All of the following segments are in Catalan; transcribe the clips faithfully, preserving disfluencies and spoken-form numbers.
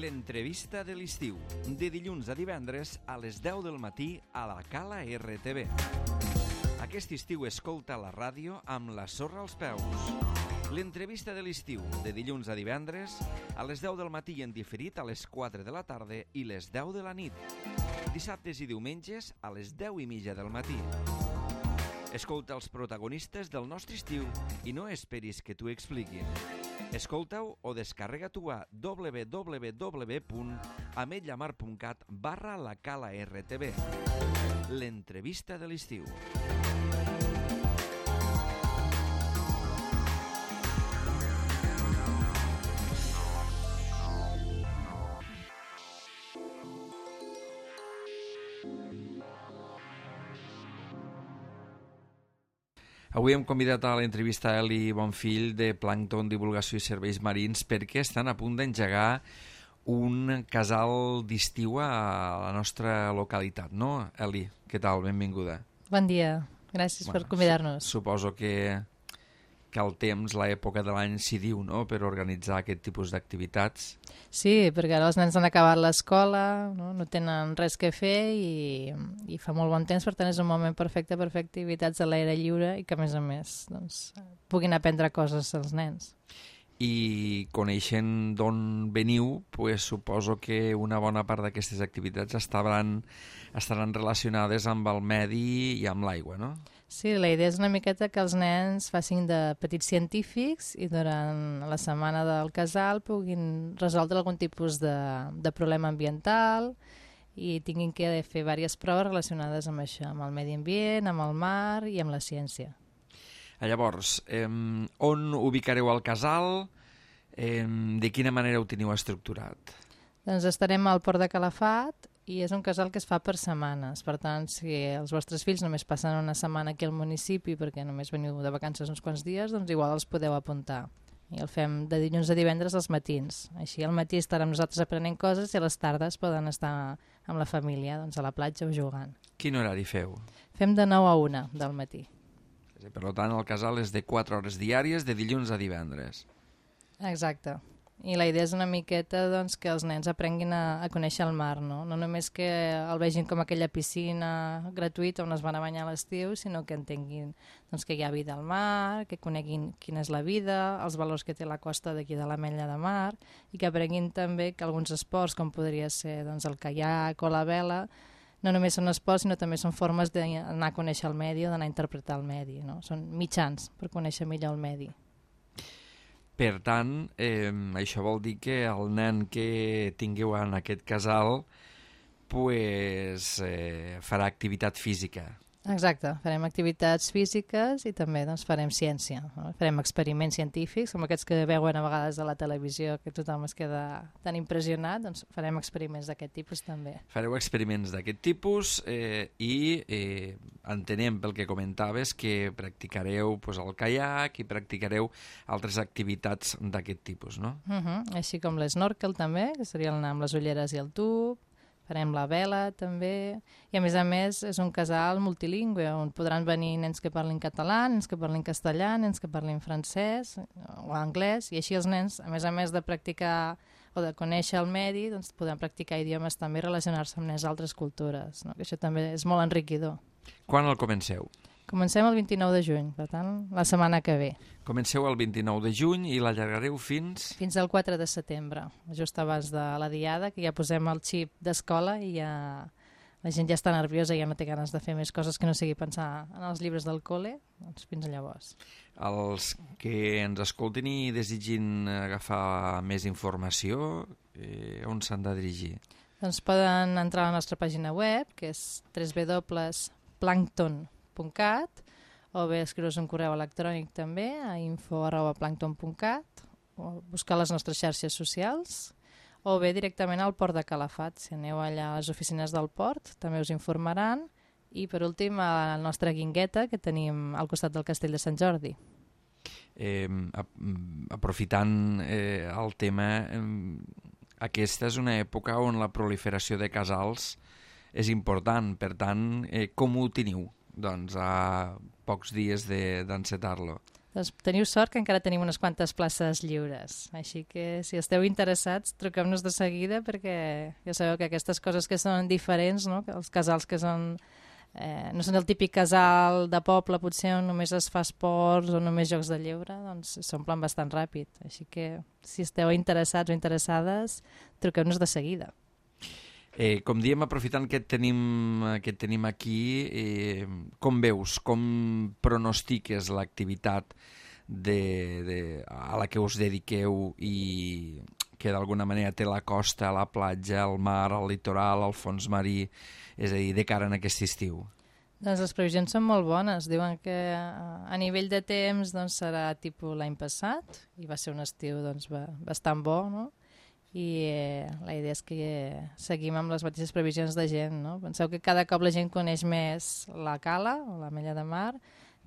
L'entrevista de l'estiu, de dilluns a divendres a les deu del matí a la Cala R T V. Aquest estiu escolta la ràdio amb la sorra als peus. L'entrevista de l'estiu, de dilluns a divendres a les deu del matí i en diferit a les quatre de la tarda i les deu de la nit. Dissabtes i diumenges a les deu i mitja del matí. Escolta els protagonistes del nostre estiu i no esperis que t'ho expliquin. Escolta-ho o descarrega-t'ho a w w w punt ametlllamar punt cat barra la Cala R T V. L'entrevista de l'estiu. Avui hem convidat a l'entrevista a Eli Bonfill de Plàncton, Divulgació i Serveis Marins perquè estan a punt d'engegar un casal d'estiu a la nostra localitat, no? Eli, què tal? Benvinguda. Bon dia, gràcies bueno, per convidar-nos. Suposo que, que el temps, l'època de l'any s'hi diu, no?, per organitzar aquest tipus d'activitats. Sí, perquè ara els nens han acabat l'escola, no, no tenen res que fer i, i fa molt bon temps, per tant és un moment perfecte per fer activitats a l'aire lliure i que a més a més doncs, puguin aprendre coses els nens. I coneixent d'on veniu, pues, suposo que una bona part d'aquestes activitats estaran, estaran relacionades amb el medi i amb l'aigua, no? Sí, la idea és una miqueta que els nens facin de petits científics i durant la setmana del casal puguin resoldre algun tipus de, de problema ambiental i tinguin que fer diverses proves relacionades amb això, amb el medi ambient, amb el mar i amb la ciència. Llavors, eh, on ubicareu el casal? Eh, de quina manera ho teniu estructurat? Doncs estarem al Port de Calafat i és un casal que es fa per setmanes. Per tant, si els vostres fills només passen una setmana aquí al municipi perquè només veniu de vacances uns quants dies, doncs igual els podeu apuntar. I el fem de dilluns a divendres als matins. Així al matí estarem nosaltres aprenent coses i a les tardes poden estar amb la família doncs a la platja o jugant. Quin horari feu? Fem de nou a una del matí. Per tant, el casal és de quatre hores diàries, de dilluns a divendres. Exacte. I la idea és una miqueta doncs, que els nens aprenguin a, a conèixer el mar, no? No només que el vegin com aquella piscina gratuïta on es van a banyar a l'estiu, sinó que entenguin doncs, que hi ha vida al mar, que coneguin quina és la vida, els valors que té la costa d'aquí de l'Ametlla de Mar, i que aprenguin també que alguns esports, com podria ser doncs, el caiac o la vela, no només són esports, sinó també són formes d'anar a conèixer el medi o d'anar a interpretar el medi, no? Són mitjans per conèixer millor el medi. Per tant, eh, això vol dir que el nen que tingueu en aquest casal pues, eh, farà activitat física. Exacte, farem activitats físiques i també doncs, farem ciència. No? Farem experiments científics, com aquests que veuen a vegades a la televisió, que tothom es queda tan impressionat, doncs farem experiments d'aquest tipus també. Fareu experiments d'aquest tipus eh, i eh, entenem pel que comentaves que practicareu pues, el caiac i practicareu altres activitats d'aquest tipus, no? Uh -huh. Així com l'esnorkel també, que seria anar amb les ulleres i el tub. Farem la vela també, i a més a més és un casal multilingüe on podran venir nens que parlin català, nens que parlin castellà, nens que parlin francès o anglès, i així els nens, a més a més de practicar o de conèixer el medi, doncs podran practicar idiomes també i relacionar-se amb nens d'altres cultures, no? Que això també és molt enriquidor. Quan el comenceu? Comencem el vint-i-nou de juny, per tant, la setmana que ve. Comenceu el vint-i-nou de juny i l'allargareu fins... Fins al quatre de setembre, just abans de la diada, que ja posem el xip d'escola i ja la gent ja està nerviosa i ja no té ganes de fer més coses que no sigui pensar en els llibres del col·le, doncs fins llavors. Els que ens escoltin i desitgin agafar més informació, eh, on s'han de dirigir? Doncs poden entrar a la nostra pàgina web, que és w w w punt plàncton punt cat, o bé escriure's un correu electrònic també a info arroba plàncton punt cat, o buscar les nostres xarxes socials, o bé directament al Port de Calafat. Si aneu allà a les oficines del port també us informaran, i per últim a la nostra guingueta que tenim al costat del Castell de Sant Jordi. Eh, aprofitant eh, el tema, eh, aquesta és una època on la proliferació de casals és important, per tant, eh, com ho teniu? Doncs a pocs dies d'encetar-lo. Doncs teniu sort que encara tenim unes quantes places lliures. Així que si esteu interessats, truqueu-nos de seguida perquè ja sabeu que aquestes coses que són diferents, no? Els casals que són... Eh, no són el típic casal de poble, potser on només es fa esports o només jocs de lleure, doncs s'omplen bastant ràpid. Així que si esteu interessats o interessades, truqueu-nos de seguida. Eh, com diem, aprofitant que et tenim, que et tenim aquí, eh, com veus, com pronostiques l'activitat de, de, a la que us dediqueu i que d'alguna manera té la costa, la platja, el mar, el litoral, el fons marí, és a dir, de cara en aquest estiu? Doncs les previsions són molt bones. Diuen que a nivell de temps doncs, serà tipus l'any passat i va ser un estiu doncs, bastant bo, no? I eh, la idea és que eh, seguim amb les mateixes previsions de gent, no? Penseu que cada cop la gent coneix més la cala o la Mella de Mar,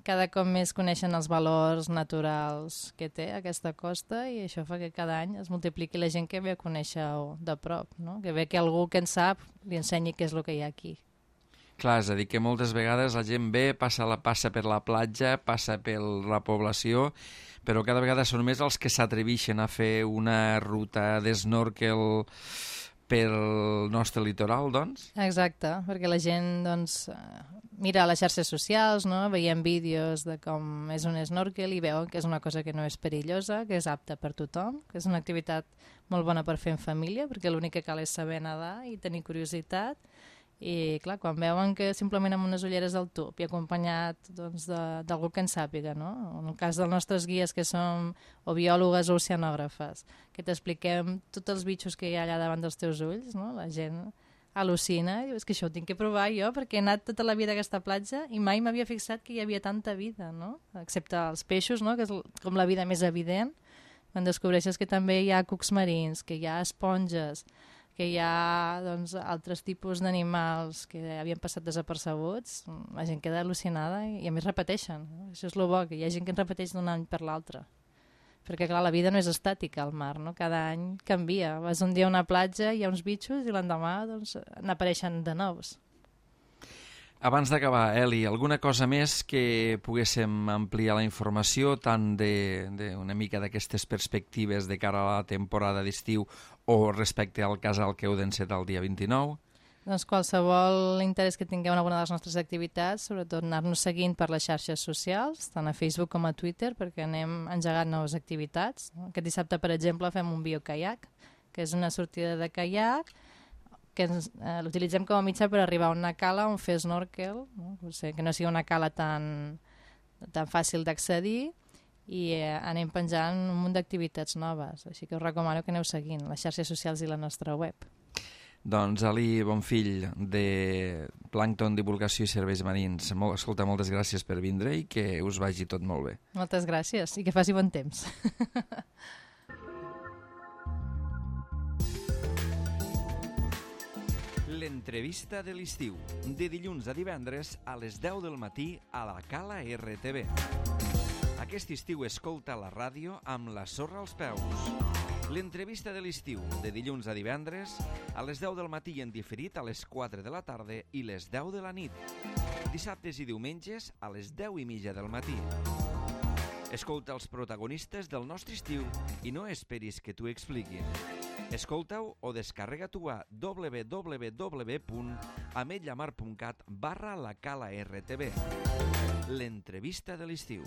cada cop més coneixen els valors naturals que té aquesta costa i això fa que cada any es multipliqui la gent que ve a conèixer-ho de prop, no? Que ve que algú que en sap li ensenyi què és el que hi ha aquí. Clar, és a dir, que moltes vegades la gent ve, passa, la, passa per la platja, passa per la població, però cada vegada són més els que s'atreveixen a fer una ruta d'snorkel pel nostre litoral, doncs? Exacte, perquè la gent doncs, mira les xarxes socials, no? Veiem vídeos de com és un snorkel i veuen que és una cosa que no és perillosa, que és apta per tothom, que és una activitat molt bona per fer en família, perquè l'únic que cal és saber nedar i tenir curiositat. I clar, quan veuen que simplement amb unes ulleres al tub i acompanyat doncs, d'algú que en sàpiga, no? En el cas dels nostres guies que som o biòlogues o oceanògrafes, que t'expliquem tots els bitxos que hi ha allà davant dels teus ulls, no? La gent al·lucina i diu, és que això ho tinc que provar jo perquè he anat tota la vida a aquesta platja i mai m'havia fixat que hi havia tanta vida, no? Excepte els peixos, no? Que és com la vida més evident, quan descobreixes que també hi ha cucs marins, que hi ha esponges, que hi ha doncs, altres tipus d'animals que havien passat desapercebuts, la gent queda al·lucinada i, i a més repeteixen. No? Això és el bo, que hi ha gent que en repeteix d'un any per l'altre. Perquè clar, la vida no és estàtica al mar, no? Cada any canvia. Vas un dia a una platja, hi ha uns bitxos i l'endemà doncs, n'apareixen de nous. Abans d'acabar, Eli, alguna cosa més que poguéssim ampliar la informació tant d'una mica d'aquestes perspectives de cara a la temporada d'estiu o respecte al casal que heu d'encetar el dia vint-i-nou? Doncs qualsevol interès que tingueu en alguna de les nostres activitats, sobretot anar-nos seguint per les xarxes socials, tant a Facebook com a Twitter, perquè anem engegant noves activitats. Aquest dissabte, per exemple, fem un biocaiac, que és una sortida de caiac, que eh, l'utilitzem com a mitjà per arribar a una cala on fer snorkel, no? Potser que no sigui una cala tan, tan fàcil d'accedir i eh, anem penjant un munt d'activitats noves, així que us recomano que aneu seguint les xarxes socials i la nostra web. Doncs Ali Bonfill, de Plàncton, Divulgació i Serveis Marins, molt, escolta, moltes gràcies per vindre i que us vagi tot molt bé. Moltes gràcies i que faci bon temps. L'entrevista de l'estiu, de dilluns a divendres a les deu del matí a la Cala R T V. Aquest estiu escolta la ràdio amb la sorra als peus. L'entrevista de l'estiu, de dilluns a divendres a les deu del matí en diferit a les quatre de la tarda i les deu de la nit. Dissabtes i diumenges a les deu i mitja del matí. Escolta els protagonistes del nostre estiu i no esperis que t'ho expliquin. Escolta-ho o descarrega-t'ho a w w w punt ametlla mar punt cat barra la cala R T V. L'entrevista de l'estiu.